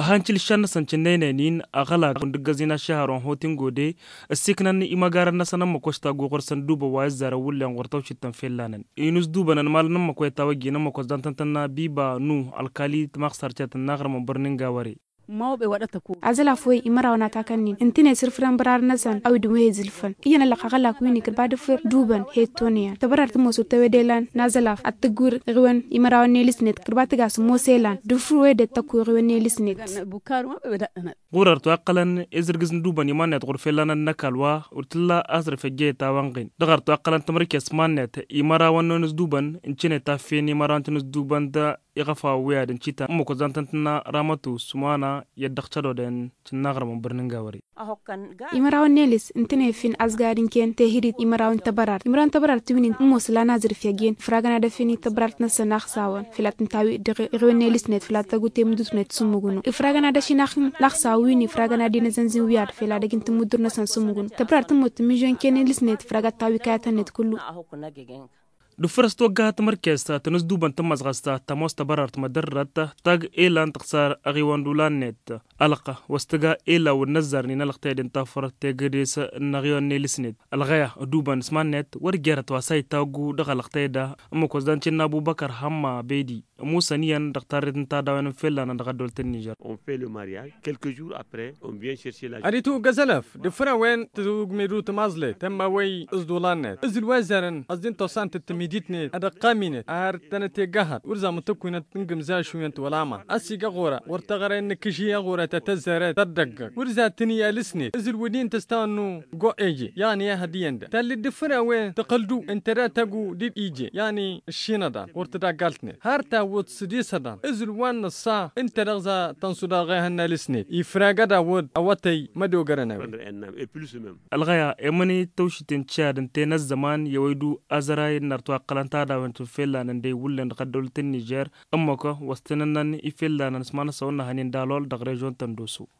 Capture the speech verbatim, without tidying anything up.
Tăhănčǝl ǝššan-năsăn cǝnnăynăynin aɣălak wǝndǝggăzin aššăhăr wa n-hot n-gode. Ǝssiknăn imăgarăn-năsăn ămmăk wa s-taggu ɣur-săn dubăn wa ǝzzarăn wǝllen ɣur-tawšit ta n-fellănăn inǝzdubănăn malăn ămmăk wa itawăjjin ămmăk wa s-dantăn-tănna biba nu ălkali tămaɣsarcet n-aɣrǝm n-bărni n-gawăre. Azălaf wi imărawăn a takăn-in ǝntǝnet sǝrfǝrăn bărarăn-năsăn a-wi dăɣ-wi he-izǝlfăn iyyăn ăllăɣ aɣălak wi-ni kărbadăfăr dubăn he-tonăyăn tăbărart tămoos wăr tăwede lan n-azălaf ad-tǝggǝwǝr ɣiwăn imărawăn n-elǝsnet kărbadăfăr tămoos elan dăɣ-făr wede tăkku ɣiwăn n-elǝsnet. Ɣur-ărtu a ǝqqălăn ezǝrgǝz n-dubăn iman-net ɣur-fellanăn n-ăkall wa wăr t-illa a-s dăɣ-făjjăyăt a-wa n-ɣin dăɣ-ărtu a ǝqqălăn tămărkes iman-net imărawăn n-onǝzdubăn ǝncǝnet affe n-imărawăn tănǝzdubăn d-iɣăfaw wi ad-ǝncǝtăn ǝmmǝk wăzzan tăn-tǝnna ramătu s-măwana i-ăddăɣ cădodăn cǝnnaɣrămăn bărnǝn gawăre. Imărawăn n-elǝs ǝntăne fin azgar n-ken tehǝrit imărawăn tăbărart imărawăn tăbărart ti wǝnnin ămoos lan azǝr feggen ifragăn ad-ăfin i-tăbărart-năsăn axsawăn făl ad-tǝntawi dăɣ-iɣwen n-elǝsnet făl ad-tăggu temǝdutnet s-ǝmmǝgǝnu ifragăn ad-ăšin axsawăn wi-ni ifragăn ad-inăzănzin wi ad-făl ad-ăjǝn tǝmmǝddur-năsăn s-ǝmmǝgǝnu tăbărart tămmut tǝmmǝžžon ken elǝsnet ifrag ad-tawi kayăt-net kullu. Dd-făr-s togga timărkest tănǝzdubăn tămmăẓɣăst tămoos tăbărărt mădărrăt tag elan tăɣsar aɣiwăn d-ulan-net ălɣa wa s-tǝga elaw n-inăzzarnen ălɣ tayăd n-tafăr tegădes n-aɣiwăn n-elǝsnet ălɣăya d-ubăn s-iman-net wăr jerăt wa s-a itawăggu dăɣ-ălɣ tayăd a ǝmmǝk wa s-dăɣ-n cǝnna ăbubăkăr hămma bedi ămusăn iyyăn dăɣ-tarret n-tadawăn n-fellănăn dăɣ-ăddăwlăt n-nižer. Ad-itwǝggăz ălăf d-ifrăwen tǝzǝwǝgmedu tămaẓlet tămma wăy s-ḍulan-net ǝzǝl wa ăzzarăn ăẓḍin tosant d-tămidit-net ad-ăqqam-inet ar tănăt-eggăhăḍ wăr za mutăkkwinăt n-gǝmza ašuyăn-t wăla ma ăsigăɣ ɣur-a wăr tăɣrăyăn n-akǝžhi aɣurăt ad-tăzzăret tăddăggăg wăr za tǝnǝy alǝsnet ǝzǝl wădin tăstawăn n-ugoɣ eje. Iɣnǝy ehăd iyyăn dăɣ-tallit d-ifrăwen tăɣǝldu ǝnta datăggu d-ije iɣnǝy ǝššinăḍan ɣur-tadaggaltnet har tawwăḍ s-disăḍan ǝzǝl wa n-nǝṣṣa ǝnta dăɣ-za tănsuḍa ɣehăn n-alǝsnet ifrag ad-awăḍ awătăy mădogărăn a-wen. Ălɣăya emănăy tăwšit n-cad ǝnta-en ăzzăman i-ăwăydu azăray n-arăt wa ǝqqălăn tadawăn tǝnfellănăn d-ewǝllen dăɣ-ăddăwlăt n-nižer ǝmmăk wa s-tăn-ǝnnăn ifellănăn s-iman-năsăn wăr nǝhănen d-alol dăɣ-režion tăndoso.